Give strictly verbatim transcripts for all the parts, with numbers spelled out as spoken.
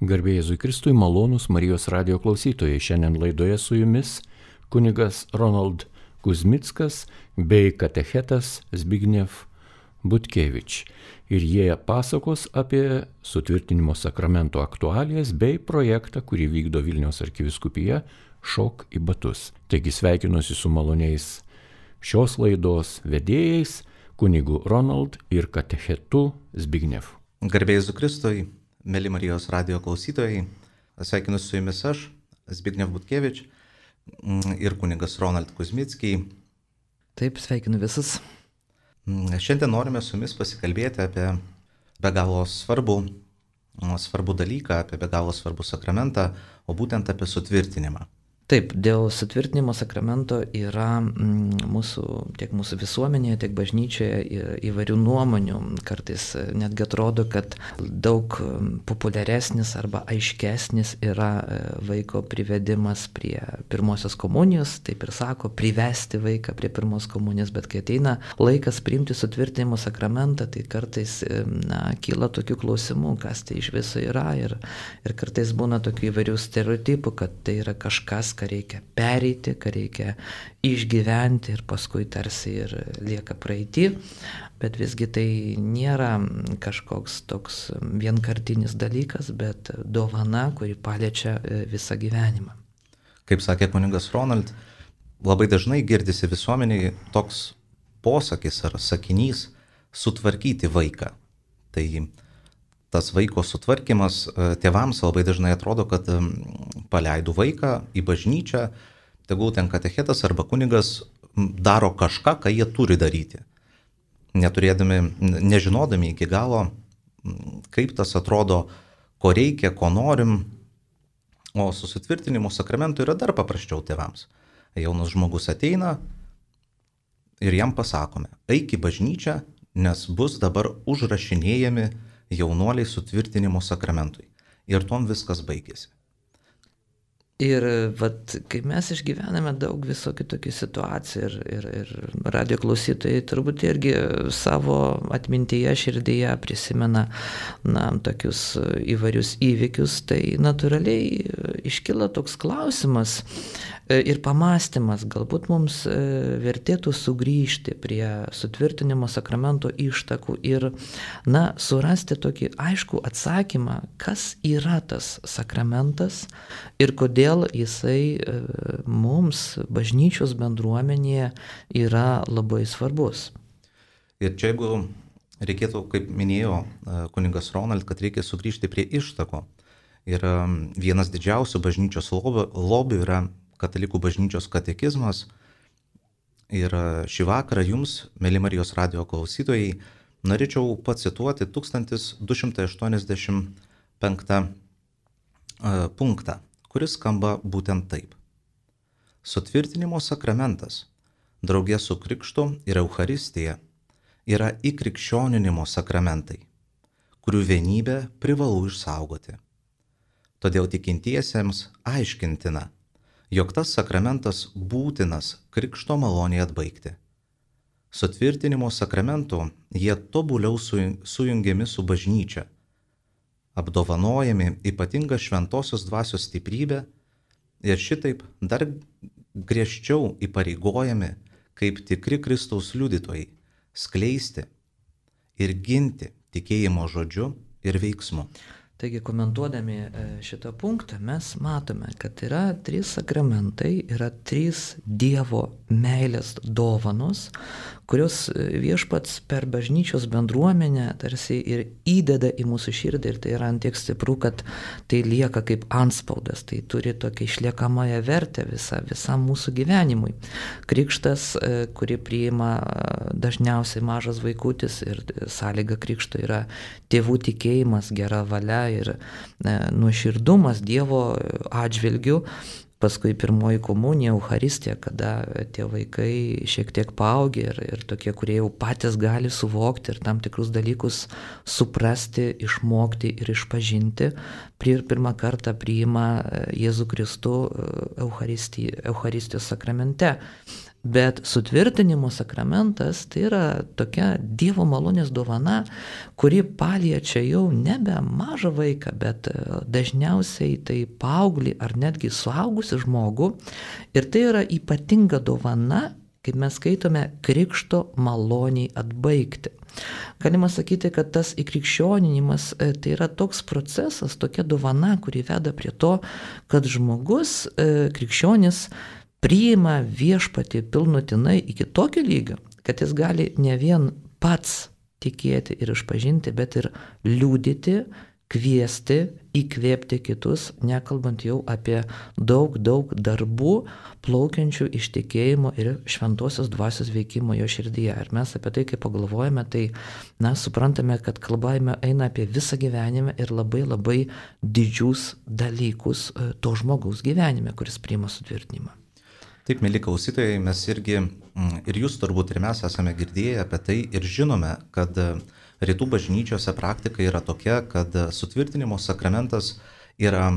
Garbė Jėzui Kristui, malonūs Marijos radijo klausytojai. Šiandien laidoje su jumis kunigas Ronald Kuzmickas bei katechetas Zbigniew Butkevič. Ir jie pasakos apie sutvirtinimo sakramento aktualijas bei projektą, kurį vykdo Vilniaus arkivyskupija Šok į batus. Taigi sveikinuosi su maloniais šios laidos vedėjais, kunigu Ronald ir katechetu Zbigniew. Garbė Jėzui Kristui. Mėly Marijos radijo klausytojai, sveikinu su jumis aš, Zbigniew Butkevič ir kunigas Ronald Kuzmickiai. Taip, sveikinu visus. Šiandien norime su jumis pasikalbėti apie be galo svarbų, svarbų dalyką, apie be galo svarbų sakramentą, o būtent apie sutvirtinimą. Taip, dėl sutvirtinimo sakramento yra mm, mūsų, tiek mūsų visuomenėje, tiek bažnyčioje įvairių nuomonių. Kartais netgi atrodo, kad daug populiaresnis arba aiškesnis yra vaiko privedimas prie pirmosios komunijos, taip ir sako, privesti vaiką prie pirmos komunijos, bet kai ateina laikas priimti sutvirtinimo sakramentą, tai kartais na, kyla tokių klausimų, kas tai iš viso yra ir, ir kartais būna tokių įvairių stereotipų, kad tai yra kažkas, ką reikia pereiti, ką reikia išgyventi ir paskui tarsi ir lieka praeity, bet visgi tai nėra kažkoks toks vienkartinis dalykas, bet dovana, kuri paliečia visą gyvenimą. Kaip sakė kunigas Ronald, labai dažnai girdisi visuomeniai toks posakis ar sakinys sutvarkyti vaiką. Tai tas vaiko sutvarkymas tėvams labai dažnai atrodo, kad paleidų vaiką į bažnyčią, tegul ten katechetas arba kunigas daro kažką, ką jie turi daryti. Neturėdami, nežinodami iki galo, kaip tas atrodo, ko reikia, ko norim, o su sutvirtinimu sakramentu yra dar paprasčiau tėvams. Jaunas žmogus ateina ir jam pasakome, eik į bažnyčią, nes bus dabar užrašinėjami jaunuoliai sutvirtinimo sakramentui. Ir tom viskas baigėsi. Ir vat, kai mes išgyvename daug visokių tokių situacijų ir, ir, ir radijo klausytojai turbūt irgi savo atmintyje, širdyje prisimena na, tokius įvairius įvykius, tai natūraliai iškyla toks klausimas ir pamąstymas, galbūt mums vertėtų sugrįžti prie sutvirtinimo sakramento ištakų ir na, surasti tokį aiškų atsakymą, kas yra tas sakramentas ir kodėl jisai mums, bažnyčios bendruomenėje, yra labai svarbus. Ir čia jeigu reikėtų, kaip minėjo kunigas Ronald, kad reikia sugrįžti prie ištakų. Ir vienas didžiausių bažnyčios lobių yra katalikų bažnyčios katekizmas. Ir šį vakarą jums, mėly Marijos radijo klausytojai, norėčiau pacituoti tūkstantis du šimtai aštuoniasdešimt penktą punktą, kuris skamba būtent taip. Sutvirtinimo sakramentas, draugė su krikštu ir Eucharistija, yra įkrikščioninimo sakramentai, kurių vienybę privalu išsaugoti. Todėl tikintiesiems aiškintina, jog tas sakramentas būtinas krikšto malonei atbaigti. Sutvirtinimo sakramentu jie tobuliau sujungiami su bažnyčia, apdovanojami ypatinga šventosios dvasios stiprybė ir šitaip dar griežčiau įpareigojami kaip tikri Kristaus liudytojai skleisti ir ginti tikėjimo žodžiu ir veiksmu. Taigi, komentuodami šitą punktą, mes matome, kad yra trys sakramentai, yra trys Dievo meilės dovanos, kurios viešpats per bažnyčios bendruomenę tarsi ir įdeda į mūsų širdį ir tai yra antiek stipru, kad tai lieka kaip antspaudas, tai turi tokią išliekamąją vertę visa, visam mūsų gyvenimui. Krikštas, kurį priima dažniausiai mažas vaikutis ir sąlyga krikšto yra tėvų tikėjimas, gera valia ir nuoširdumas Dievo atžvilgiu. Paskui pirmoji komunija, Eucharistija, kada tie vaikai šiek tiek paaugia ir, ir tokie, kurie jau patys gali suvokti ir tam tikrus dalykus suprasti, išmokti ir išpažinti, ir pirmą kartą priima Jėzų Kristų Eucharistijos sakramente. Bet sutvirtinimo sakramentas tai yra tokia Dievo malonės dovana, kuri paliečia jau nebe mažą vaiką, bet dažniausiai tai paauglį ar netgi suaugusi žmogų. Ir tai yra ypatinga dovana, kaip mes skaitome, krikšto maloniai atbaigti. Galima sakyti, kad tas įkrikščioninimas tai yra toks procesas, tokia dovana, kuri veda prie to, kad žmogus, krikščionis, priima viešpatį pilnutinai iki tokio lygio, kad jis gali ne vien pats tikėti ir išpažinti, bet ir liudyti, kviesti, įkvėpti kitus, nekalbant jau apie daug, daug darbų plaukiančių iš tikėjimo ir šventosios dvasios veikimo jo širdyje. Ir mes apie tai, kai pagalvojame, tai na, suprantame, kad kalba eina apie visą gyvenimą ir labai labai didžius dalykus to žmogaus gyvenime, kuris priima sutvirtinimą. Taip, mėly klausytojai, mes irgi, ir jūs turbūt ir mes esame girdėję apie tai ir žinome, kad rytų bažnyčiose praktika yra tokia, kad sutvirtinimo sakramentas yra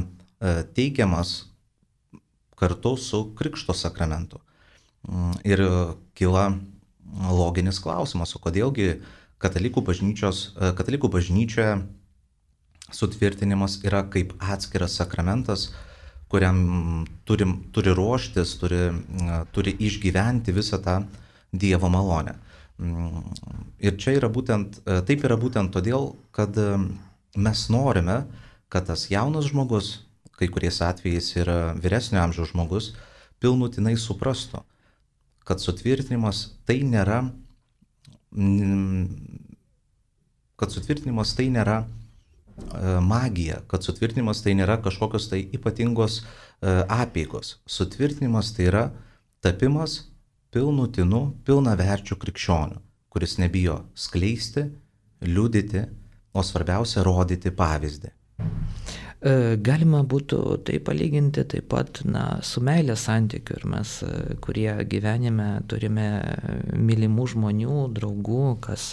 teikiamas kartu su krikšto sakramentu. Ir kyla loginis klausimas, o kodėlgi katalikų bažnyčios, katalikų bažnyčioje sutvirtinimas yra kaip atskiras sakramentas, kuriam turim, turi ruoštis, turi, turi išgyventi visą tą Dievo malonę. Ir čia yra būtent, taip yra būtent todėl, kad mes norime, kad tas jaunas žmogus, kai kuriais atvejais yra vyresnio amžiaus žmogus, pilnutinai suprastų, kad sutvirtinimas tai nėra, kad sutvirtinimas tai nėra magija, kad sutvirtinimas tai nėra kažkokios tai ypatingos apeigos. Sutvirtinimas tai yra tapimas pilnutinu, pilnaverčiu krikščioniu, kuris nebijo skleisti, liudyti, o svarbiausia rodyti pavyzdį. Galima būtų tai palyginti taip pat na, su meilės santykiu ir mes, kurie gyvenime turime mylimų žmonių, draugų, kas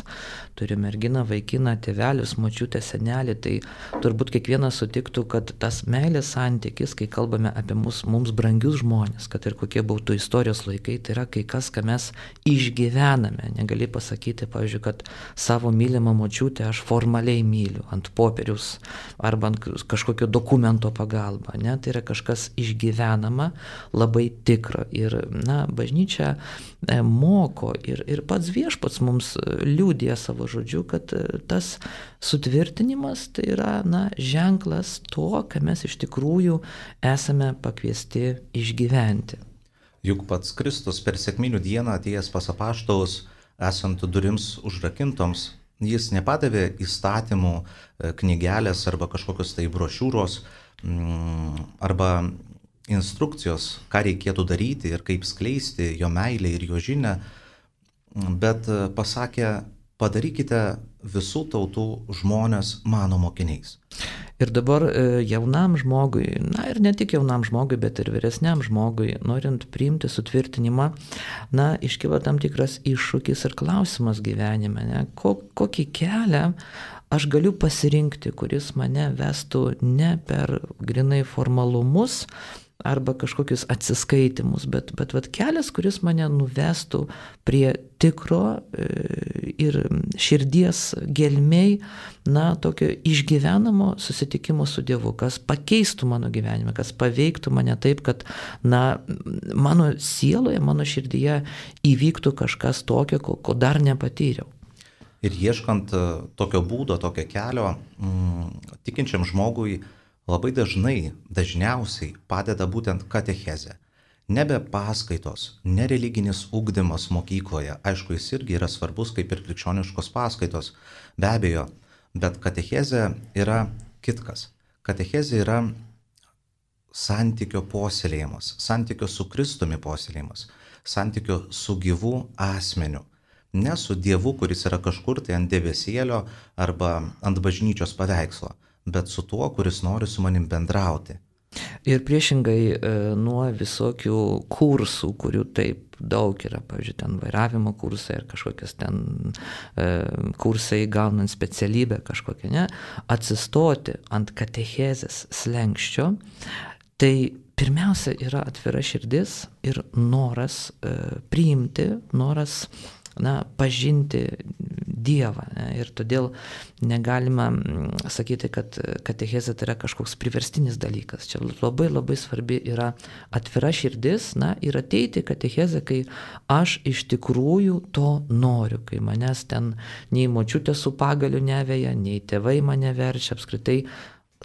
turi merginą, vaikiną, tėvelius, močiutę, senelį, tai turbūt kiekvienas sutiktų, kad tas meilės santykis, kai kalbame apie mus, mums brangius žmonės, kad ir kokie būtų istorijos laikai, tai yra kai kas, ką mes išgyvename. Negali pasakyti, pavyzdžiui, kad savo mylimą močiutę aš formaliai myliu ant popieriaus arba ant kažkokio dokumento pagalba, ne? Tai yra kažkas išgyvenama, labai tikro. Ir na, bažnyčia e, moko ir, ir pats viešpats mums liudija savo žodžiu, kad tas sutvirtinimas tai yra na, ženklas to, ką mes iš tikrųjų esame pakviesti išgyventi. Juk pats Kristus per sekminių dieną atėjęs pas apaštalus, esant durims užrakintoms, jis nepadavė įstatymų knygelės arba kažkokios tai brošiūros arba instrukcijos, ką reikėtų daryti ir kaip skleisti jo meilę ir jo žinią, bet pasakė, padarykite visų tautų žmonės mano mokiniais. Ir dabar jaunam žmogui, na ir ne tik jaunam žmogui, bet ir vyresniam žmogui, norint priimti sutvirtinimą, na, iškyla tam tikras iššūkis ir klausimas gyvenime, ne? Ko, kokį kelią aš galiu pasirinkti, kuris mane vestų ne per grinai formalumus arba kažkokius atsiskaitimus, bet, bet, bet kelias, kuris mane nuvestų prie tikro ir širdies gelmei, na, tokio išgyvenamo susitikimo su Dievu, kas pakeistų mano gyvenimą, kas paveiktų mane taip, kad, na, mano sieloje, mano širdyje įvyktų kažkas tokio, ko, ko dar nepatyriau. Ir ieškant tokio būdo, tokio kelio, mm, tikinčiam žmogui labai dažnai, dažniausiai padeda būtent katechezė. Nebe paskaitos, ne religinis ugdymas mokykloje, aišku, jis irgi yra svarbus kaip ir krikščioniškos paskaitos, be abejo, bet katechezė yra kitkas. Katechezė yra santykio puoselėjimas, santykio su Kristumi puoselėjimas, santykio su gyvu asmeniu. Ne su Dievu, kuris yra kažkur tai ant debesėlio arba ant bažnyčios paveikslo, bet su tuo, kuris nori su manim bendrauti. Ir priešingai nuo visokių kursų, kurių taip daug yra, pavyzdžiui, ten vairavimo kursai ar kažkokias ten e, kursai gaunant specialybę kažkokią, ne, atsistoti ant katechezės slenkščio, tai pirmiausia yra atvira širdis ir noras e, priimti, noras na, pažinti Dievą. Ne? Ir todėl negalima sakyti, kad katechezė tai yra kažkoks priverstinis dalykas. Čia labai labai svarbi yra atvira širdis, na, ir ateiti katechezę, kai aš iš tikrųjų to noriu, kai manęs ten nei močiutė su pagaliu neveja, nei tėvai mane verčia, apskritai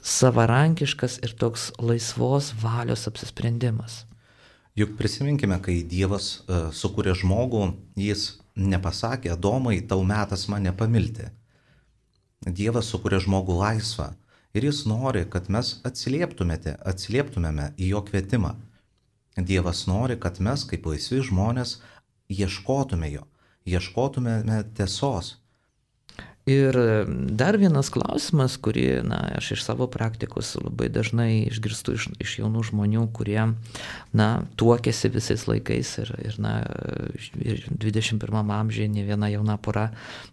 savarankiškas ir toks laisvos valios apsisprendimas. Juk prisiminkime, kai Dievas uh, sukūrė žmogų, jis nepasakė, Adomai, tau metas mane pamilti. Dievas sukūrė žmogų laisvą ir jis nori, kad mes atsilieptumėte, atsilieptumėme į jo kvietimą. Dievas nori, kad mes kaip laisvi žmonės ieškotume jo, ieškotumėme tiesos. Ir dar vienas klausimas, kurį na, aš iš savo praktikos labai dažnai išgirstu iš, iš jaunų žmonių, kurie na, tuokėsi visais laikais ir, ir, na, ir dvidešimt pirmam amžiuje ne viena jauna pora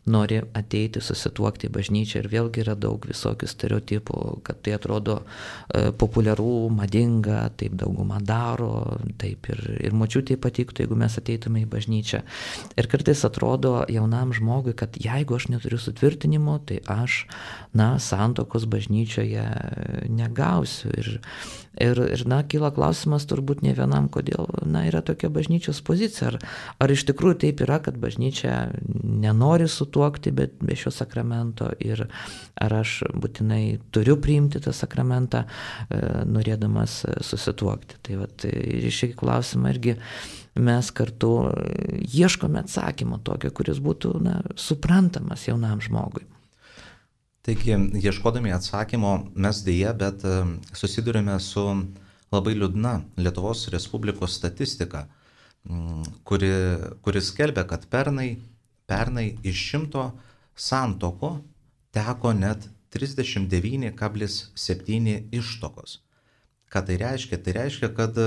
nori ateiti, susituokti į bažnyčią ir vėlgi yra daug visokių stereotipų, kad tai atrodo e, populiaru, madinga, taip dauguma daro, taip ir, ir močiutei patiktų, jeigu mes ateitume į bažnyčią. Ir kartais atrodo jaunam žmogui, kad jeigu aš neturiu sutvirtinimo, tai aš, na, santuokos bažnyčioje negausiu. Ir, ir, ir na, kyla klausimas turbūt ne vienam, kodėl, na, yra tokia bažnyčios pozicija. Ar, ar iš tikrųjų taip yra, kad bažnyčia nenori sutuokti be, be šio sakramento ir ar aš būtinai turiu priimti tą sakramentą, e, norėdamas susituokti. Tai vat, ir šį klausimą irgi mes kartu ieškome atsakymo tokio, kuris būtų na, suprantamas jaunam žmogui. Taigi, ieškodami atsakymo, mes dėja, bet susidurime su labai liūdna Lietuvos Respublikos statistika, kuri, kuri skelbia, kad pernai, pernai iš šimto santuokų teko net trisdešimt devyni kablelis septyni ištuokos. Ką tai reiškia? Tai reiškia, kad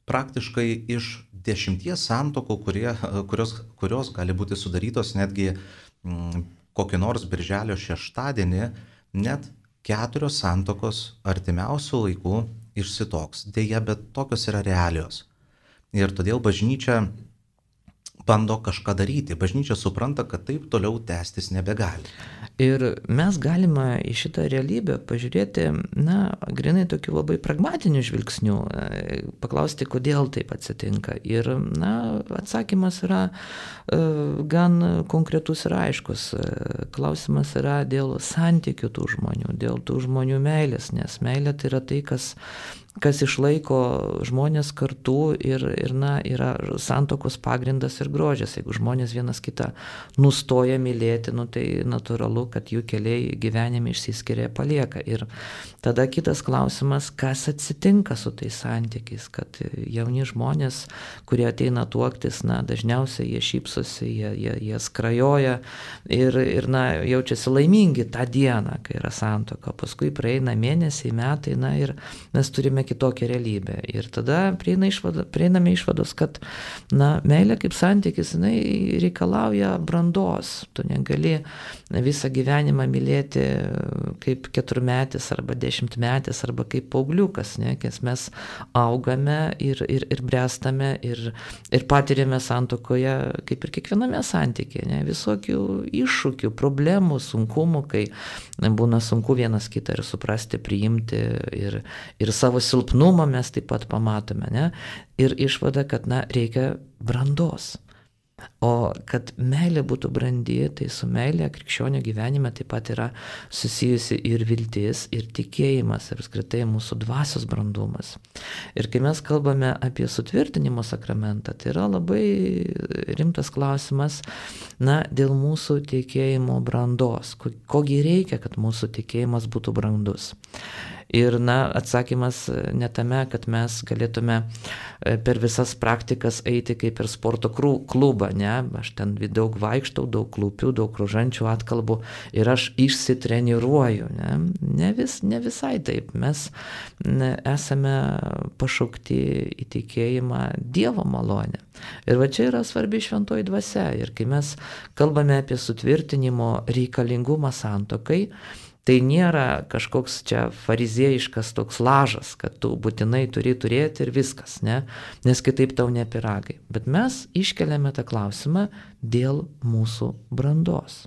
praktiškai iš dešimties santuokų, kurie, kurios, kurios gali būti sudarytos netgi mm, kokį nors birželio šeštadienį, net keturios santuokos artimiausių laikų išsituoks. Deja, bet tokios yra realios. Ir todėl bažnyčia bando kažką daryti. Bažnyčia supranta, kad taip toliau tęstis nebegali. Ir mes galime į šitą realybę pažiūrėti, na, grinai tokiu labai pragmatiniu žvilgsniu, paklausti, kodėl taip atsitinka. Ir, na, atsakymas yra e, gan konkretus ir aiškus. Klausimas yra dėl santykių tų žmonių, dėl tų žmonių meilės, nes meilė tai yra tai, kas kas išlaiko žmonės kartu ir, ir na, yra santuokos pagrindas ir grožis. Jeigu žmonės vienas kitą nustoja mylėti, nu, tai natūralu, kad jų keliai gyvenime išsiskiria, palieka. Ir tada kitas klausimas, kas atsitinka su tais santykiais, kad jauni žmonės, kurie ateina tuoktis, na, dažniausiai jie šypsosi, jie, jie, jie skrajoja ir, ir na, jaučiasi laimingi tą dieną, kai yra santuoka. Paskui praeina mėnesiai, metai, na, ir mes turime kitokią realybę. Ir tada prieina išvada, prieiname išvados, kad na, meilė kaip santykis, jinai reikalauja brandos. Tu negali visą gyvenimą mylėti kaip keturmetis arba dešimtmetis arba kaip paaugliukas, ne? Nes mes augame ir, ir, ir bręstame ir, ir patiriame santuokoje kaip ir kiekviename santykėje, ne? Visokių iššūkių, problemų, sunkumų, kai būna sunku vienas kitą ir suprasti, priimti ir, ir savo silpnumą mes taip pat pamatome, ne? Ir išvada, kad na, reikia brandos. O kad meilė būtų brandi, tai su meilė krikščionio gyvenime taip pat yra susijusi ir viltis, ir tikėjimas, ir apskritai mūsų dvasios brandumas. Ir kai mes kalbame apie sutvirtinimo sakramentą, tai yra labai rimtas klausimas, na, dėl mūsų tikėjimo brandos. Kogi reikia, kad mūsų tikėjimas būtų brandus. Ir na, atsakymas ne tame, kad mes galėtume per visas praktikas eiti kaip per sporto klubą, ne, aš ten daug vaikštau, daug klūpiu, daug rožančių atkalbų ir aš išsitreniruoju, ne, ne, vis, ne visai taip, mes ne, esame pašaukti į tikėjimą Dievo malonę. Ir va čia yra svarbi šventoji dvasia ir kai mes kalbame apie sutvirtinimo reikalingumą santuokai, Tai nėra kažkoks čia fariziejiškas toks lažas, kad tu būtinai turi turėti ir viskas, ne? Nes kitaip tau ne piragai. Bet mes iškeliame tą klausimą dėl mūsų brandos.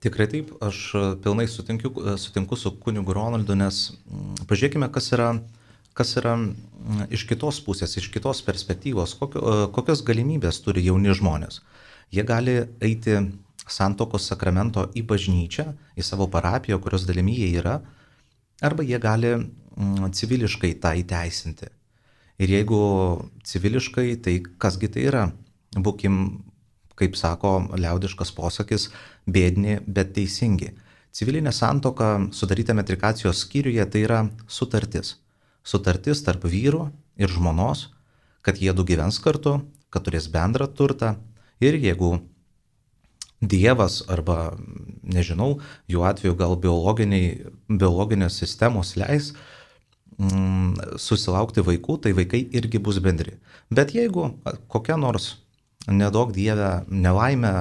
Tikrai taip, aš pilnai sutinku, sutinku su kunigu Ronaldu, nes pažiūrėkime, kas yra, kas yra iš kitos pusės, iš kitos perspektyvos, kokio, kokios galimybės turi jauni žmonės. Jie gali eiti santuokos sakramento į bažnyčią, į savo parapiją, kurios dalimi jie yra, arba jie gali civiliškai tą įteisinti. Ir jeigu civiliškai, tai kasgi tai yra? Būkim, kaip sako liaudiškas posakis, bėdni, bet teisingi. Civilinė santuoka sudaryta metrikacijos skyriuje tai yra sutartis. Sutartis tarp vyrų ir žmonos, kad jie du gyvens kartu, kad turės bendrą turtą ir jeigu Dievas arba, nežinau, jų atveju gal biologinės sistemos leis mm, susilaukti vaikų, tai vaikai irgi bus bendri. Bet jeigu kokia nors nedaug Dieve nelaimė,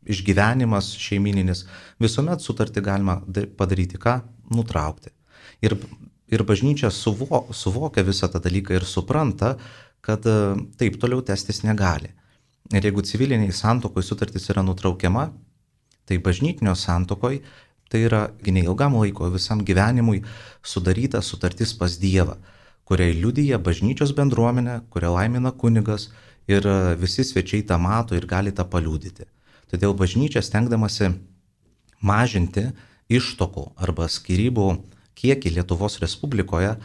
išgyvenimas šeimininis, visuomet sutartį galima padaryti ką? Nutraukti. Ir, ir bažnyčia suvo, suvokia visą tą dalyką ir supranta, kad taip toliau testis negali. Ir jeigu civiliniai santuokoj sutartis yra nutraukiama, tai bažnytinio santuokoj tai yra neilgam laiko, visam gyvenimui sudaryta sutartis pas Dievą, kuriai liudija bažnyčios bendruomenė, kurią laimina kunigas ir visi svečiai tą mato ir gali tą paliudyti. Todėl bažnyčia stengdamasi mažinti ištuokų arba skyrybų kiekį Lietuvos Respublikoje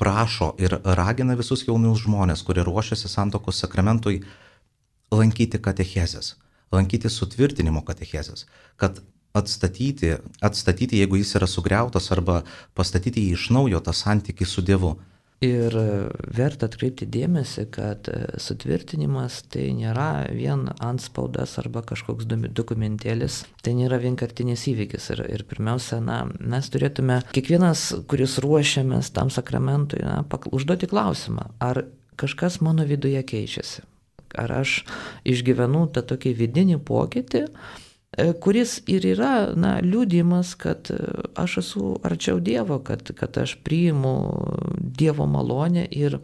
prašo ir ragina visus jaunus žmonės, kurie ruošiasi santuokos sakramentui, lankyti katechezės, lankyti sutvirtinimo katechezės, kad atstatyti, atstatyti, jeigu jis yra sugriautas, arba pastatyti jį iš naujo tą santykį su Dievu. Ir verta atkreipti dėmesį, kad sutvirtinimas tai nėra vien antspaudas arba kažkoks dokumentėlis, tai nėra vienkartinis įvykis. Ir, ir pirmiausia, na, mes turėtume, kiekvienas, kuris ruošiamės tam sakramentui, na, užduoti klausimą, ar kažkas mano viduje keičiasi. Ar aš išgyvenu tą tokį vidinį pokytį, kuris ir yra, na, liudijimas, kad aš esu arčiau Dievo, kad, kad aš priimu Dievo malonę ir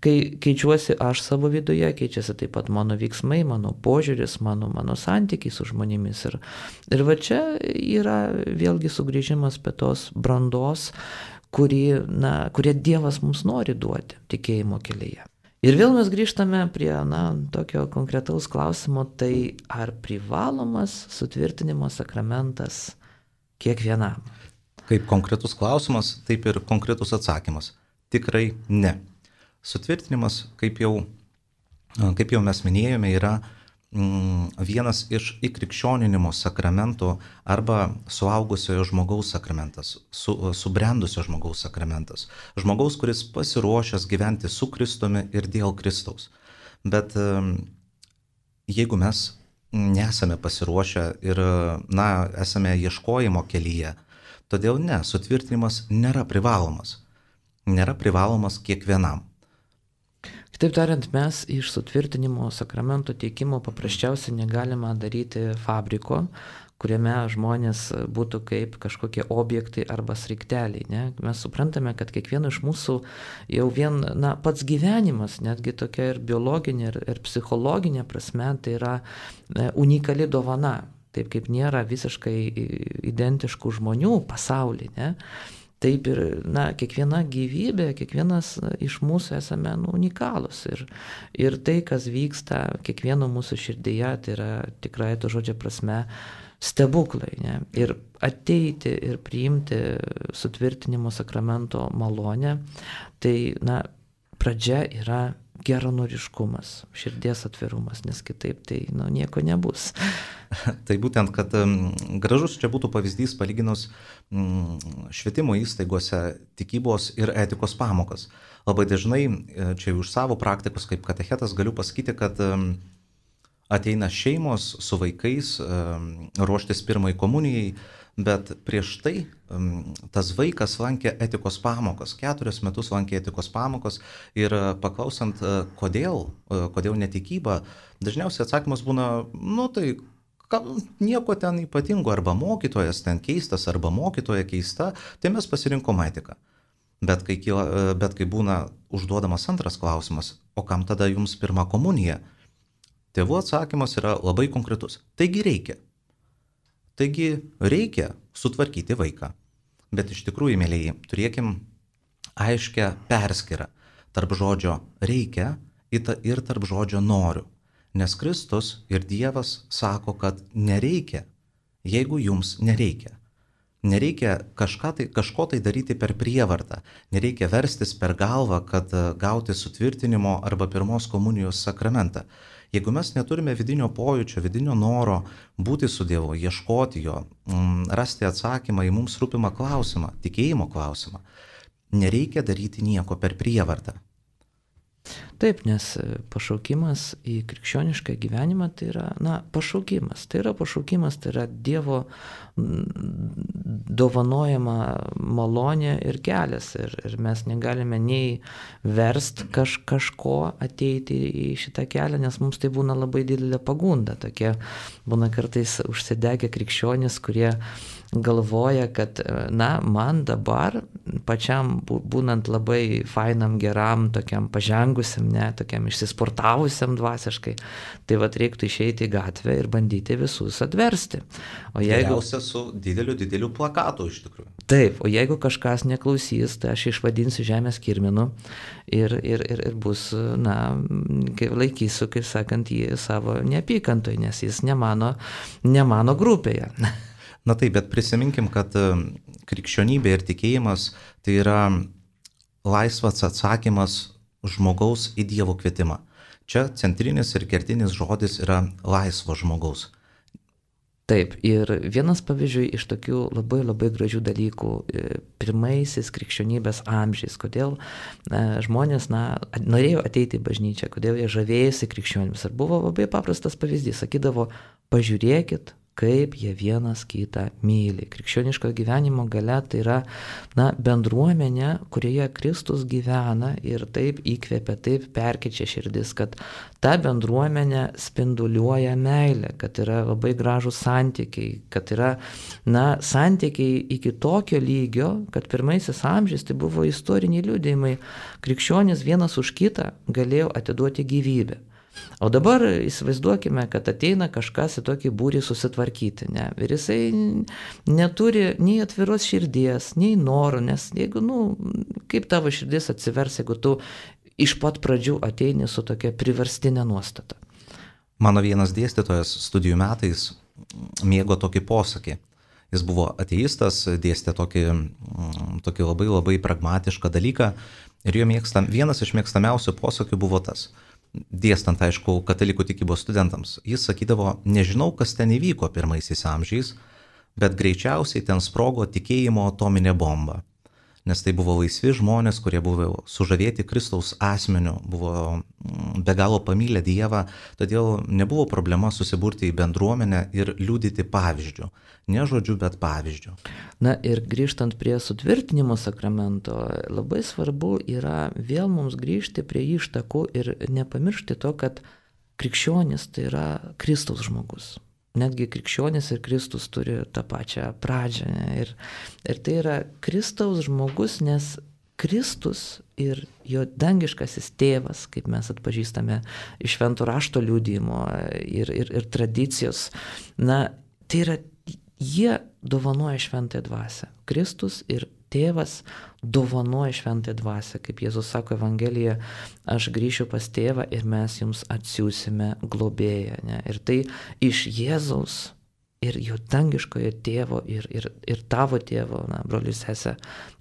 kai keičiuosi aš savo viduje, keičiasi taip pat mano veiksmai, mano požiūris, mano, mano santykiai su žmonėmis. Ir, ir va čia yra vėlgi sugrįžimas prie tos brandos, kurį, na, kurią Dievas mums nori duoti tikėjimo kelyje. Ir vėl mes grįžtame prie, na, tokio konkretaus klausimo, tai ar privalomas sutvirtinimo sakramentas kiekvienam? Kaip konkretus klausimas, taip ir konkretus atsakymas. Tikrai ne. Sutvirtinimas, kaip jau, kaip jau mes minėjome, yra mm, vienas iš įkrikščioninimo sakramentų arba suaugusiojo žmogaus sakramentas, su, subrendusio žmogaus sakramentas. Žmogaus, kuris pasiruošęs gyventi su Kristumi ir dėl Kristaus. Bet jeigu mes nesame pasiruošę ir, na, esame ieškojimo kelyje, todėl ne, sutvirtinimas nėra privalomas. Nėra privalomas kiekvienam. Kitaip tariant, mes iš sutvirtinimo sakramento teikimo paprasčiausiai negalime daryti fabriko, kuriame žmonės būtų kaip kažkokie objektai arba sraigteliai. Ne? Mes suprantame, kad kiekvieno iš mūsų jau vien, na, pats gyvenimas, netgi tokia ir biologinė, ir, ir psichologinė prasme, tai yra unikali dovana. Taip kaip nėra visiškai identiškų žmonių pasaulyje. Ne? Taip ir, na, kiekviena gyvybė, kiekvienas iš mūsų esame, nu, unikalūs. Ir, ir tai, kas vyksta kiekvieno mūsų širdyje, tai yra tikrai to žodžio prasme stebuklai. Ne? Ir ateiti ir priimti sutvirtinimo sakramento malonę, tai, na, pradžia yra geranoriškumas, širdies atvirumas, nes kitaip tai, nu, nieko nebus. Tai būtent, kad um, gražus čia būtų pavyzdys palyginus um, švietimo įstaigose tikybos ir etikos pamokas. Labai dažnai, čia už savo praktikus kaip katechetas galiu pasakyti, kad um, ateina šeimos su vaikais um, ruoštis pirmai komunijai, bet prieš tai um, tas vaikas lankė etikos pamokas, keturius metus lankė etikos pamokas ir uh, paklausant, uh, kodėl, uh, kodėl netikyba, dažniausiai atsakymas būna, nu tai nieko ten ypatingo, arba mokytojas ten keistas, arba mokytoja keista, tai mes pasirinkom etiką. Bet kai, kyla, bet kai būna užduodamas antras klausimas, o kam tada jums pirma komunija? Tėvų atsakymas yra labai konkretus. Taigi reikia. Taigi reikia sutvarkyti vaiką. Bet iš tikrųjų, mėlyjei, turėkim aiškę perskirą tarp žodžio reikia ir tarp žodžio noriu. Nes Kristus ir Dievas sako, kad nereikia, jeigu jums nereikia. Nereikia kažką tai, kažko tai daryti per prievartą, nereikia verstis per galvą, kad gauti sutvirtinimo arba pirmos komunijos sakramentą. Jeigu mes neturime vidinio pojūčio, vidinio noro būti su Dievu, ieškoti jo, rasti atsakymą į mums rūpimą klausimą, tikėjimo klausimą, nereikia daryti nieko per prievartą. Taip, nes pašaukimas į krikščionišką gyvenimą tai yra, na, pašaukimas. Tai yra pašaukimas, tai yra Dievo dovanojama malonė ir kelias. Ir, ir mes negalime nei verst kaž, kažko ateiti į šitą kelią, nes mums tai būna labai didelė pagunda. Tokie būna kartais užsidegę krikščionys, kurie galvoja, kad, na, man dabar pačiam būnant labai fainam, geram, tokiam pažengusiam, ne, tokiam išsisportavusiam dvasiškai, tai vat reiktų išeiti į gatvę ir bandyti visus atversti. O jeigu... Geriausia su dideliu, dideliu plakatu iš tikrųjų. Taip, o jeigu kažkas neklausys, tai aš išvadinsiu žemės kirminu ir, ir, ir, ir bus, na, laikysiu, kaip sakant, jį savo neapykantoj, nes jis ne mano, ne mano grupėje. Na taip, bet prisiminkim, kad krikščionybė ir tikėjimas tai yra laisvas atsakymas žmogaus į Dievo kvietimą. Čia centrinis ir kertinis žodis yra laisvo žmogaus. Taip, ir vienas pavyzdžiui iš tokių labai labai gražių dalykų pirmaisiais krikščionybės amžiais, kodėl na, žmonės na, norėjo ateiti į bažnyčią, kodėl jie žavėjosi krikščionimis. Ir buvo labai paprastas pavyzdys, sakydavo, pažiūrėkit, kaip jie vienas kitą myli. Krikščioniško gyvenimo galia tai yra na, bendruomenė, kurioje Kristus gyvena ir taip įkvepia, taip perkeičia širdis, kad ta bendruomenė spinduliuoja meilę, kad yra labai gražūs santykiai, kad yra na, santykiai iki tokio lygio, kad pirmaisiais amžiais tai buvo istoriniai liudijimai. Krikščionys vienas už kitą galėjo atiduoti gyvybę. O dabar įsivaizduokime, kad ateina kažkas į tokį būrį susitvarkyti, ne? Ir jisai neturi nei atviros širdies, nei norų, nes jeigu, nu, kaip tavo širdis atsivers, jeigu tu iš pat pradžių ateini su tokia priverstinė nuostata. Mano vienas dėstytojas studijų metais mėgo tokį posakį. Jis buvo ateistas, dėstė tokį, tokį labai labai pragmatišką dalyką ir jo mėgstam, vienas iš mėgstamiausių posakių buvo tas. Dėstant, aišku, katalikų tikybos studentams. Jis sakydavo, nežinau, kas ten įvyko pirmaisiais amžiais, bet greičiausiai ten sprogo tikėjimo atominė bomba. Nes tai buvo laisvi žmonės, kurie buvo sužavėti Kristaus asmeniu, buvo be galo pamylę Dievą, todėl nebuvo problema susiburti į bendruomenę ir liudyti pavyzdžių. Ne žodžiu, bet pavyzdžių. Na ir grįžtant prie sutvirtinimo sakramento, labai svarbu yra vėl mums grįžti prie ištakų ir nepamiršti to, kad krikščionis tai yra Kristaus žmogus. Netgi krikščionis ir Kristus turi tą pačią pradžią. Ir, ir tai yra Kristaus žmogus, nes Kristus ir jo dangiškasis tėvas, kaip mes atpažįstame iš švento rašto liudijimo ir, ir, ir tradicijos, na, tai yra, jie dovanoja šventąją dvasią. Kristus ir tėvas dovanoja šventąją dvasią, kaip Jėzus sako Evangelijoje, aš grįšiu pas tėvą ir mes jums atsiųsime globėją. Ne? Ir tai iš Jėzaus ir jo dangiškojo tėvo ir, ir, ir tavo tėvo, na, brolius sese,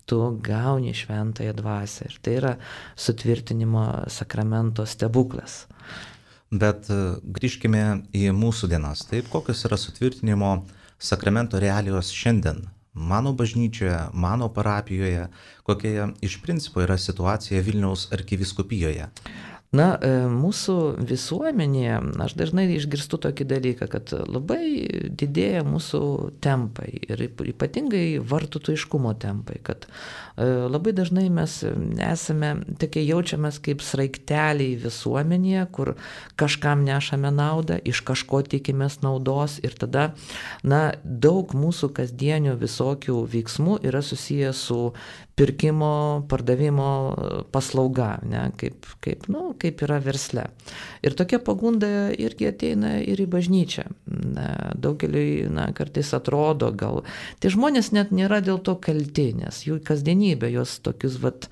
tu gauni šventąją dvasią. Ir tai yra sutvirtinimo sakramento stebuklas. Bet grįžkime į mūsų dienas. Taip, kokios yra sutvirtinimo sakramento realijos šiandien? Mano bažnyčioje, mano parapijoje, kokia iš principo yra situacija Vilniaus arkivyskupijoje? Na, mūsų visuomenėje, aš dažnai išgirstu tokį dalyką, kad labai didėja mūsų tempai ir ypatingai vartotojiškumo tempai, kad labai dažnai mes esame, tokie jaučiamės kaip sraigteliai visuomenėje, kur kažkam nešame naudą, iš kažko tikimės naudos ir tada, na, daug mūsų kasdienių visokių veiksmų yra susijęs su pirkimo, pardavimo paslauga, ne, kaip, kaip, nu, kaip yra versle. Ir tokia pagunda irgi ateina ir į bažnyčią. Daugeliui, na, kartais atrodo, gal tie žmonės net nėra dėl to kalti, nes jų kasdienybė jos tokius, vat,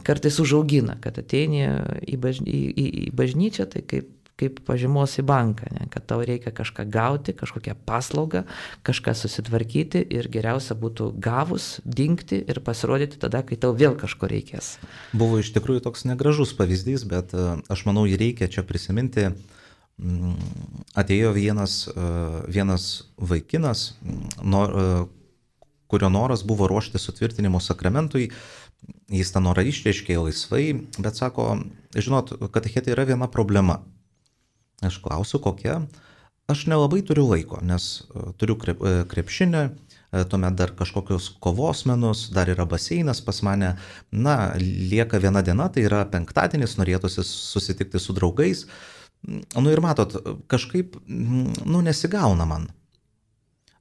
kartais užaugina, kad ateini į, bažny, į, į bažnyčią, tai kaip kaip pažymos į banką, ne? Kad tau reikia kažką gauti, kažkokią paslaugą, kažką susitvarkyti ir geriausia būtų gavus, dingti ir pasirodyti tada, kai tau vėl kažko reikės. Buvo iš tikrųjų toks negražus pavyzdys, bet aš manau, jį reikia čia prisiminti. Atėjo vienas, vienas vaikinas, kurio noras buvo ruošti sutvirtinimo sakramentui. Jis tą norą išreiškė laisvai, bet sako, žinot, katechete yra viena problema. Aš klausiu, kokia. Aš nelabai turiu laiko, nes turiu krep, krepšinį, tuomet dar kažkokius kovos menus, dar yra baseinas pas mane. Na, lieka viena diena, tai yra penktadienis, norėtųsi susitikti su draugais. Nu ir matot, kažkaip, nu, nesigauna man.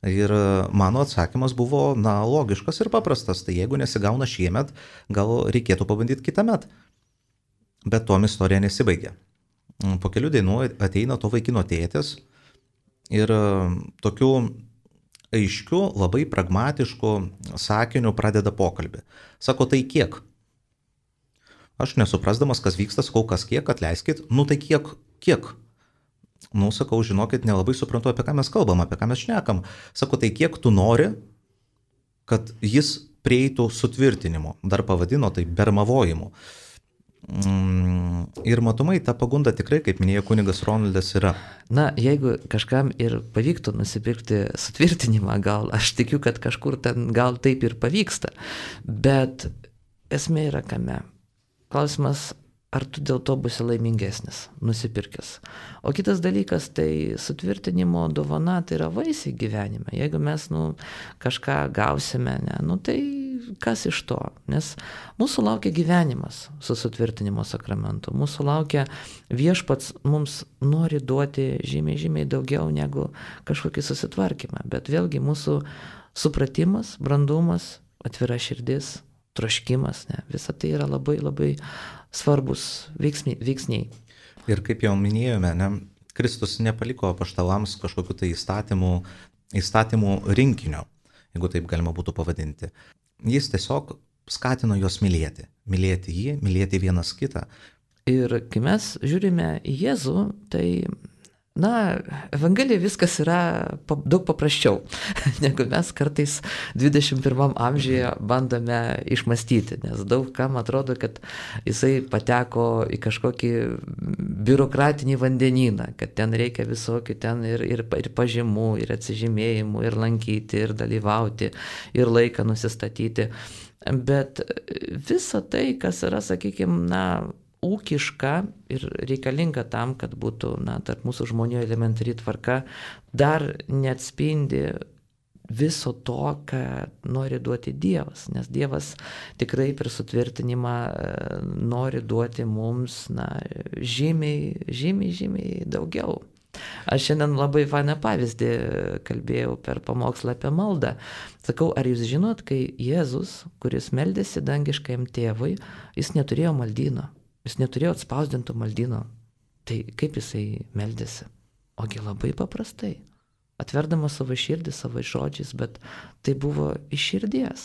Ir mano atsakymas buvo, na, logiškas ir paprastas. Tai jeigu nesigauna šiemet, gal reikėtų pabandyti kitąmet. Bet tuom istorija nesibaigė. Po kelių dienų ateina to vaikino tėtis ir tokiu aiškiu, labai pragmatišku sakiniu pradeda pokalbį. Sako, tai kiek? Aš nesuprasdamas, kas vyksta, sakau, kas kiek, atleiskit. Nu tai kiek, kiek? Nu, sakau, žinokit, nelabai suprantu, apie ką mes kalbam, apie ką mes šnekam. Sako, tai kiek tu nori, kad jis prieitų sutvirtinimu. Dar pavadino tai bermavojimu. Ir matomai ta pagunda tikrai, kaip minėjo kunigas Ronaldas, yra. Na, jeigu kažkam ir pavyktų nusipirkti sutvirtinimą, gal aš tikiu, kad kažkur ten gal taip ir pavyksta, bet esmė yra kame. Klausimas, ar tu dėl to būsi laimingesnis, nusipirkęs. O kitas dalykas, tai sutvirtinimo dovana, tai yra vaisiai gyvenime. Jeigu mes, nu, kažką gausime, ne, nu, tai kas iš to? Nes mūsų laukia gyvenimas su sutvirtinimo sakramentu. Mūsų laukia viešpats mums nori duoti žymiai, žymiai daugiau negu kažkokį susitvarkymą. Bet vėlgi mūsų supratimas, brandumas, atvira širdis, troškimas, ne, visa tai yra labai, labai svarbus veiksniai. Ir kaip jau minėjome, ne, Kristus nepaliko apaštalams kažkokiu tai įstatymų, įstatymų rinkinio, jeigu taip galima būtų pavadinti. Jis tiesiog skatino juos mylėti. Mylėti jį, mylėti vienas kitą. Ir kai mes žiūrime į Jėzų, tai, na, Evangelija viskas yra daug paprasčiau, negu mes kartais dvidešimt pirmam amžiuje bandome išmastyti, nes daug kam atrodo, kad jisai pateko į kažkokį biurokratinį vandenyną, kad ten reikia visokių ten ir, ir, ir pažymų, ir atsižymėjimų, ir lankyti, ir dalyvauti, ir laiką nusistatyti. Bet visa tai, kas yra, sakykime, na, ūkiška ir reikalinga tam, kad būtų, na, tarp mūsų žmonių elementari tvarka, dar neatspindi viso to, ką nori duoti Dievas. Nes Dievas tikrai per sutvirtinimą nori duoti mums, na, žymiai, žymiai, žymiai daugiau. Aš šiandien labai fainą pavyzdį kalbėjau per pamokslą apie maldą. Sakau, ar jūs žinot, kai Jėzus, kuris meldėsi dangiškajam tėvui, jis neturėjo maldyno. Jis neturėjo atspausdinto maldyno. Tai kaip jisai meldėsi? Ogi labai paprastai. Atverdamas savo širdį, savo žodžiais, bet tai buvo iš širdies.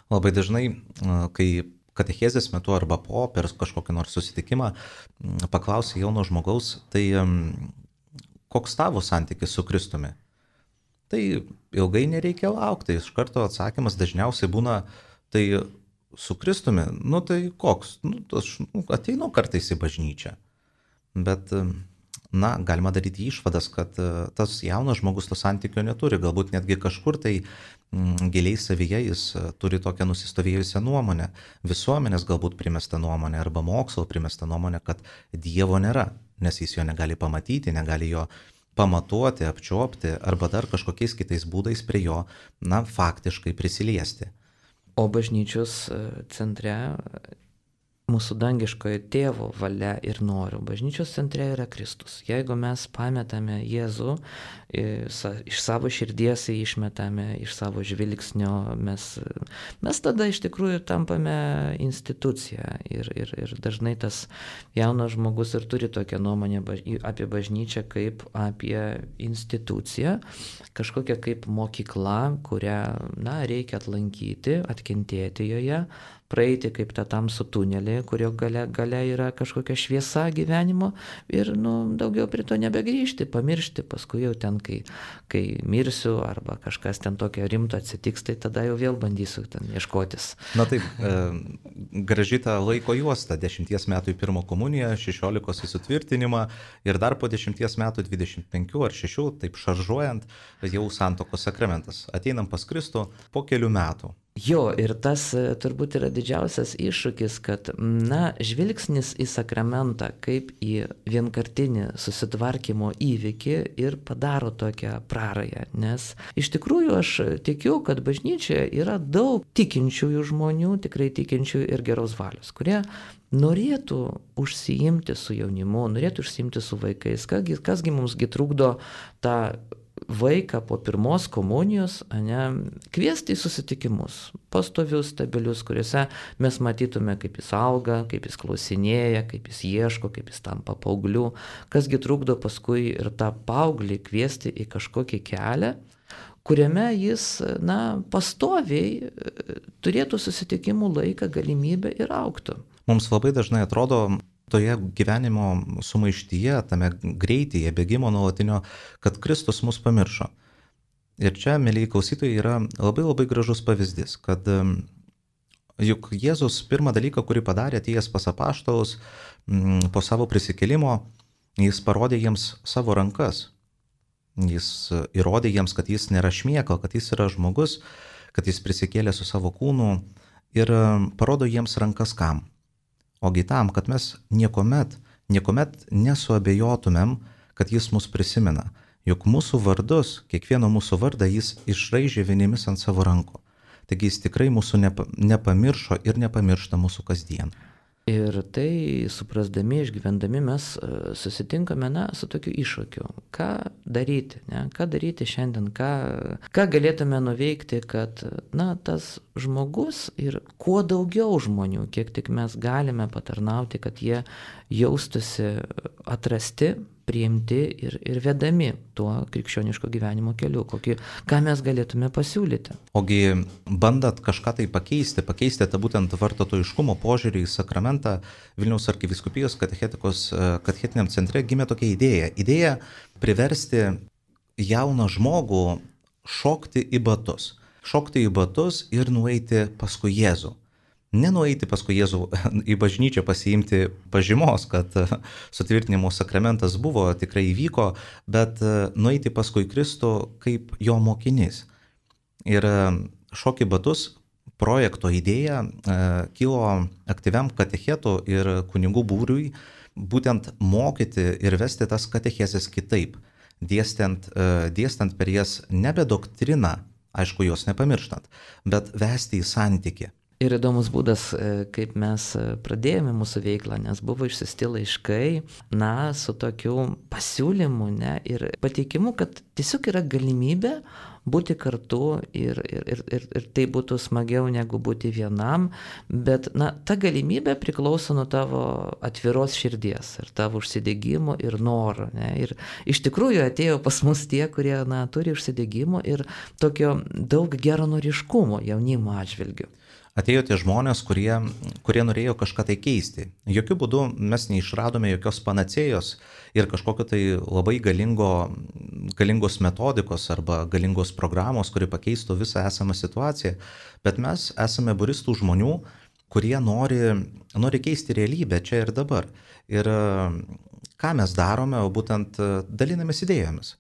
Labai dažnai, kai katechezės metu arba po, per kažkokį nors susitikimą, paklausia jauno žmogaus, tai koks tavo santykis su Kristumi? Tai ilgai nereikia laukti. Iš karto atsakymas dažniausiai būna, tai su Kristumi, nu tai koks? Nu, aš ateinu kartais į bažnyčią. Bet na, galima daryti išvadas, kad tas jaunas žmogus to santykio neturi, galbūt netgi kažkur tai mm, giliai savyje jis turi tokią nusistovėjusią nuomonę, visuomenės galbūt primestą nuomonę arba mokslo primestą nuomonę, kad Dievo nėra, nes jis jo negali pamatyti, negali jo pamatuoti, apčiuopti arba dar kažkokiais kitais būdais prie jo, na, faktiškai prisiliesti. O bažnyčios centre mūsų dangiškojo tėvo valia ir noriu. Bažnyčios centre yra Kristus. Jeigu mes pametame Jėzų, iš savo širdies išmetame, iš savo žvilgsnio, mes, mes tada iš tikrųjų tampame institucija. Ir, ir, ir dažnai tas jaunas žmogus ir turi tokią nuomonę apie bažnyčią kaip apie instituciją, kažkokią kaip mokykla, kurią, na, reikia atlankyti, atkentėti joje, praeiti kaip tą tamsų tunelį, kurio gale, gale yra kažkokia šviesa gyvenimo ir nu, daugiau prie to nebegrįžti, pamiršti, paskui jau ten, kai, kai mirsiu arba kažkas ten tokio rimto atsitiks, tai tada jau vėl bandysiu ten ieškotis. Na taip, e, graži ta laiko juosta, dešimties metų į pirmą komuniją, šešiolikos į sutvirtinimą ir dar po dešimties metų, dvidešimt penkių ar šešių, taip šaržuojant, jau santuokos sakramentas. Ateinam pas Kristų po kelių metų. Jo, ir tas turbūt yra didžiausias iššūkis, kad, na, žvilgsnis į sakramentą kaip į vienkartinį susitvarkymo įvykį ir padaro tokią prarają, nes iš tikrųjų aš tikiu, kad bažnyčioje yra daug tikinčiųjų žmonių, tikrai tikinčiųjų ir geros valios, kurie norėtų užsiimti su jaunimu, norėtų užsiimti su vaikais, kasgi, kasgi mumsgi trukdo tą vaiką po pirmos komunijos, ane, kviesti į susitikimus, pastovius, stabilius, kuriuose mes matytume, kaip jis auga, kaip jis klausinėja, kaip jis ieško, kaip jis tampa paaugliu, kasgi trukdo paskui ir tą paauglį kviesti į kažkokį kelią, kuriame jis, na, pastoviai turėtų susitikimų laiką, galimybę ir augtų. Mums labai dažnai atrodo, toje gyvenimo sumaištyje, tame greityje, bėgimo nuolatinio, kad Kristus mus pamiršo. Ir čia, mėlyjei klausytojai, yra labai labai gražus pavyzdys, kad juk Jėzus pirmą dalyką, kurį padarė, atėjęs pas apaštalus po savo prisikėlimo, jis parodė jiems savo rankas. Jis įrodė jiems, kad jis nėra šmėkla, kad jis yra žmogus, kad jis prisikėlė su savo kūnu ir parodo jiems rankas kam. Ogi tam, kad mes niekuomet, niekuomet nesuabejotumėm, kad jis mus prisimena. Juk mūsų vardus, kiekvieno mūsų vardą jis išraižė vienimis ant savo rankų. Taigi jis tikrai mūsų nepa, nepamiršo ir nepamiršta mūsų kasdien. Ir tai suprasdami, išgyvendami mes susitinkame, na, su tokiu iššūkiu. Ką daryti, ne? Ką daryti šiandien, ką, ką galėtume nuveikti, kad, na, tas žmogus ir kuo daugiau žmonių, kiek tik mes galime patarnauti, kad jie jaustųsi atrasti, priimti ir, ir vedami tuo krikščioniško gyvenimo keliu, kokį, ką mes galėtume pasiūlyti. Ogi bandant kažką tai pakeisti, pakeisti tą būtent vartotojiškumo požiūrį į sakramentą, Vilniaus arkivyskupijos katechetikos katechetiniam centre gimė tokia idėja. Idėja priversti jauną žmogų šokti į batus. Šokti į batus ir nueiti paskui Jėzų. Nenueiti paskui Jėzų į bažnyčią pasiimti pažymos, kad sutvirtinimo sakramentas buvo, tikrai įvyko, bet nueiti paskui Kristų kaip jo mokinys. Ir šokį batus projekto idėja kilo aktyviam katechetų ir kunigų būriui būtent mokyti ir vesti tas katechezes kitaip, dėstant, dėstant per jas nebe doktriną, aišku, jos nepamirštant, bet vesti į santykį. Ir įdomus būdas, kaip mes pradėjome mūsų veiklą, nes buvo išsiųsti laiškai, na, su tokiu pasiūlymu, ne, ir pateikimu, kad tiesiog yra galimybė būti kartu ir, ir, ir, ir, ir tai būtų smagiau negu būti vienam, bet, na, ta galimybė priklauso nuo tavo atviros širdies ir tavo užsidegimo ir noro, ne, ir iš tikrųjų atėjo pas mus tie, kurie, na, turi užsidegimo ir tokio daug geranoriškumo jaunimo atžvilgių. Atėjo tie žmonės, kurie, kurie norėjo kažką tai keisti. Jokių būdų mes neišradome jokios panacėjos ir kažkokio tai labai galingo, galingos metodikos arba galingos programos, kuri pakeistų visą esamą situaciją, bet mes esame būris tų žmonių, kurie nori, nori keisti realybę čia ir dabar. Ir ką mes darome, o būtent dalinamės idėjomis.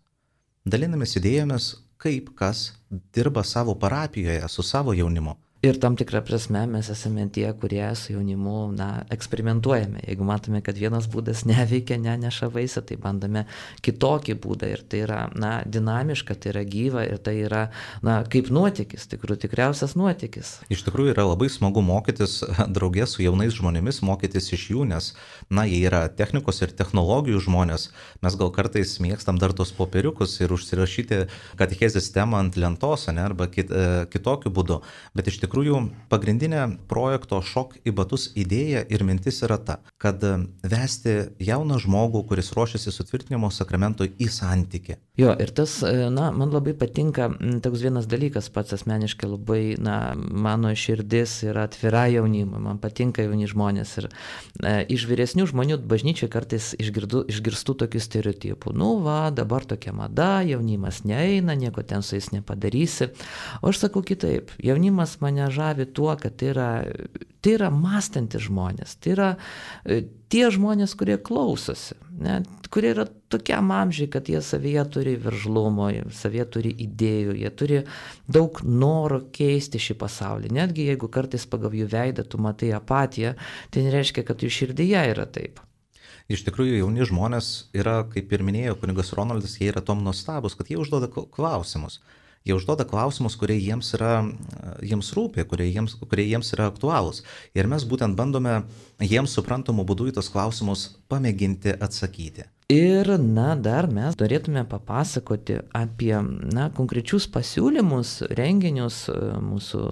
Dalinamės idėjomis, kaip kas dirba savo parapijoje su savo jaunimu. Ir tam tikrą prasme mes esame tie, kurie su jaunimu, na, eksperimentuojame. Jeigu matome, kad vienas būdas neveikia, neneša vaisių, tai bandome kitokį būdą. Ir tai yra, na, dinamiška, tai yra gyva ir tai yra, na, kaip nuotykis, tikrų tikriausias nuotykis. Iš tikrųjų yra labai smagu mokytis draugė su jaunais žmonėmis, mokytis iš jų, nes, na, jie yra technikos ir technologijų žmonės. Mes gal kartais mėgstam dar tos popieriukus ir užsirašyti katechezės temą ant lentos, ne, arba kit, kitokiu būdu. Bet iš tikrųjų Iš tikrųjų, pagrindinė projekto Šok į batus idėja ir mintis yra ta, kad vesti jauną žmogų, kuris ruošiasi sutvirtinimo sakramentui į santykį. Jo, ir tas, na, man labai patinka toks vienas dalykas, pats asmeniškai labai, na, mano širdis yra atvira jaunimui, man patinka jauni žmonės ir e, iš vyresnių žmonių bažnyčiai kartais išgirdu, išgirstu tokių stereotipų. Nu, va, dabar tokia mada, jaunimas neeina, nieko ten su jais nepadarysi. O aš sakau kitaip, jaunimas mane žavi tuo, kad tai yra, tai yra mąstantis žmonės, tai yra tie žmonės, kurie klausosi, ne, kurie yra tokiam amžiai, kad jie savyje turi veržlumo, savyje turi idėjų, jie turi daug noro keisti šį pasaulį. Netgi jeigu kartais pagal jų veidą tu matai apatiją, tai nereiškia, kad jų širdyje yra taip. Iš tikrųjų, jauni žmonės yra, kaip ir minėjo kunigas Ronaldas, jie yra tom nuostabus, kad jie užduoda klausimus. Jie užduoda klausimus, kurie jiems, yra, jiems rūpi, kurie jiems, kurie jiems yra aktualūs. Ir mes būtent bandome jiems suprantamų būdų į tos klausimus pamėginti atsakyti. Ir, na, dar mes norėtume papasakoti apie, na, konkrečius pasiūlymus, renginius mūsų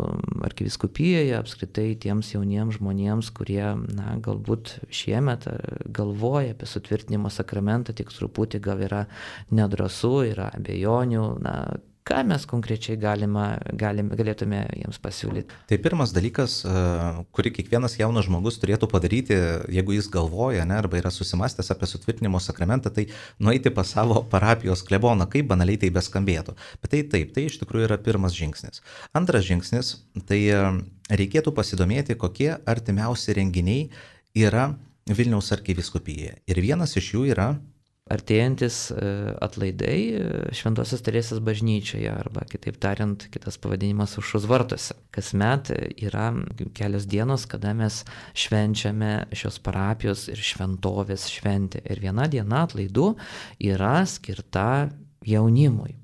arkivyskupijoje, apskritai tiems jauniems žmonėms, kurie, na, galbūt šiemet galvoja apie sutvirtinimo sakramentą, tik truputį gal yra nedrąsu, yra abejonių, na, ką mes konkrečiai galima, galime, galėtume jiems pasiūlyti? Tai pirmas dalykas, kurį kiekvienas jaunas žmogus turėtų padaryti, jeigu jis galvoja, ne, arba yra susimastęs apie sutvirtinimo sakramentą, tai nueiti pas savo parapijos kleboną, kaip banaliai tai beskambėtų. Bet tai taip, tai iš tikrųjų yra pirmas žingsnis. Antras žingsnis, tai reikėtų pasidomėti, kokie artimiausi renginiai yra Vilniaus arkivyskupijoje. Ir vienas iš jų yra artėjantis atlaidai Šventosios Teresės bažnyčioje, arba kitaip tariant, kitas pavadinimas Aušros vartuose. Kasmet yra kelios dienos, kada mes švenčiame šios parapijos ir šventovės šventę. Ir viena diena atlaidų yra skirta jaunimui.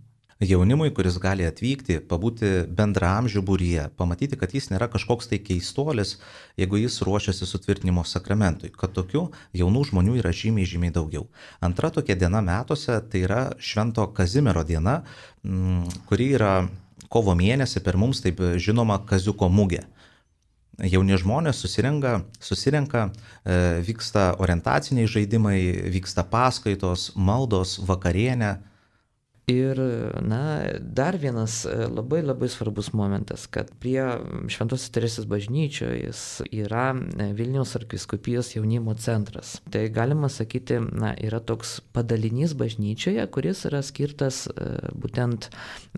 Jaunimui, kuris gali atvykti, pabūti bendraamžių būryje, pamatyti, kad jis nėra kažkoks tai keistuolis, jeigu jis ruošiasi sutvirtinimo sakramentui, kad tokių jaunų žmonių yra žymiai, žymiai daugiau. Antra tokia diena metuose, tai yra Švento Kazimiero diena, kuri yra kovo mėnesį per mums taip žinoma Kaziuko mugė. Jauni žmonės susirenka, susirenka, vyksta orientaciniai žaidimai, vyksta paskaitos, maldos, vakarienė. Ir, na, dar vienas labai labai svarbus momentas, kad prie Šventosios Teresės bažnyčios yra Vilniaus arkivyskupijos jaunimo centras. Tai galima sakyti, na, yra toks padalinys bažnyčioje, kuris yra skirtas būtent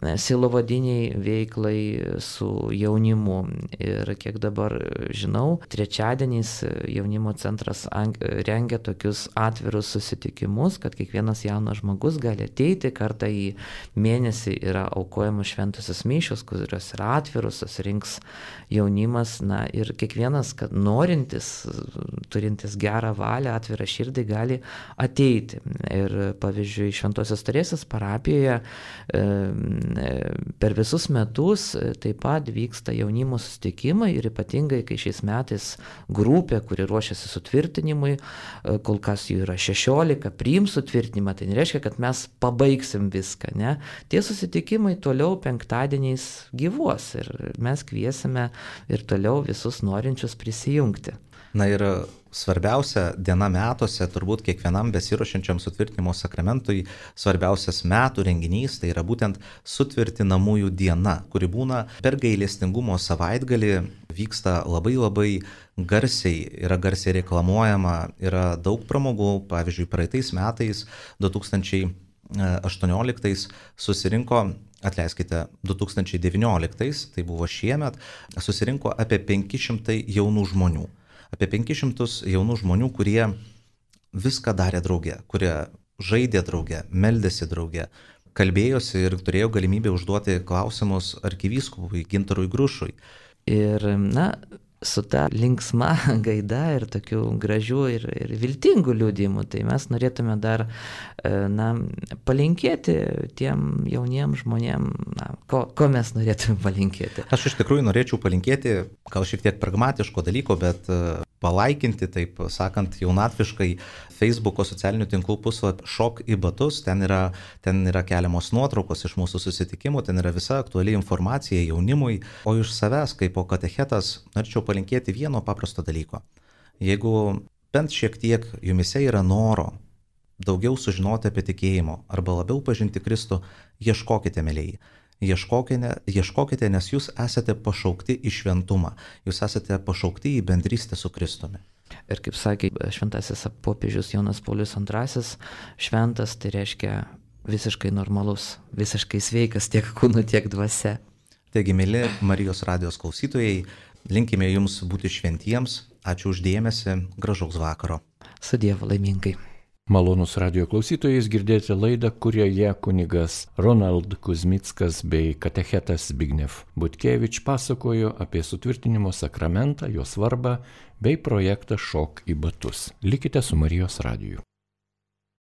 sielovadiniai veiklai su jaunimu. Ir kiek dabar žinau, trečiadieniais jaunimo centras rengia tokius atvirus susitikimus, kad kiekvienas jaunas žmogus gali ateiti kartą į mėnesį yra aukojamos šventosios mišios, kurios yra atviros, susirinks jaunimas, na ir kiekvienas, kad norintis, turintis gerą valią, atvirą širdį, gali ateiti. Ir pavyzdžiui, Šventosios Teresės parapijoje per visus metus taip pat vyksta jaunimo susitikimai ir ypatingai, kai šiais metais grupė, kuri ruošiasi sutvirtinimui, kol kas jų yra šešiolika, priims sutvirtinimą, tai nereiškia, kad mes pabaigsim viską. Ne? Tie susitikimai toliau penktadieniais gyvuos ir mes kviesime ir toliau visus norinčius prisijungti. Na ir svarbiausia diena metuose, turbūt kiekvienam besiruošiančiam sutvirtinimo sakramentui, svarbiausias metų renginys, tai yra būtent sutvirtinamųjų diena, kuri būna per gailestingumo savaitgalį, vyksta labai labai garsiai, yra garsiai reklamuojama, yra daug pramogų, pavyzdžiui, praeitais metais, du tūkstančiai aštuonioliktais susirinko, atleiskite, du tūkstančiai devynioliktais, tai buvo šiemet, susirinko apie penki šimtai jaunų žmonių. Apie penkis šimtus jaunų žmonių, kurie viską darė drauge, kurie žaidė drauge, meldėsi drauge, kalbėjosi ir turėjo galimybę užduoti klausimus arkivyskupui Gintarui Grušui. Ir, na, su ta linksma gaida ir tokiu gražiu ir, ir viltingu liudijimu, tai mes norėtume dar, na, palinkėti tiem jauniem žmonėm, na, ko, ko mes norėtume palinkėti. Aš iš tikrųjų norėčiau palinkėti, gal šiek tiek pragmatiško dalyko, bet palaikinti, taip sakant, jaunatviškai Facebooko socialinių tinklų puslapį Šok į batus, ten yra, ten yra keliamos nuotraukos iš mūsų susitikimų, ten yra visa aktuali informacija jaunimui, o iš savęs, kaip po katechetas, norėčiau palinkėti vieno paprasto dalyko. Jeigu bent šiek tiek jumise yra noro daugiau sužinoti apie tikėjimo arba labiau pažinti Kristų, ieškokite, mėlyjei. Ieškokite, ieškokite, nes jūs esate pašaukti į šventumą, jūs esate pašaukti į bendrystę su Kristumi. Ir kaip sakė šventasis popiežius Jonas Paulius antrasis, šventas tai reiškia visiškai normalus, visiškai sveikas tiek kūnu, tiek dvasia. Taigi, mėly Marijos radijos klausytojai, linkime jums būti šventiems, ačiū už dėmesį, gražaus vakaro. Su Dievu, laimingai. Malonus radijo klausytojais girdėti laidą, kurioje kunigas Ronald Kuzmickas bei katechetas Zbigniew Butkevič pasakojo apie sutvirtinimo sakramentą, jo svarbą bei projektą Šok į batus. Likite su Marijos radiju.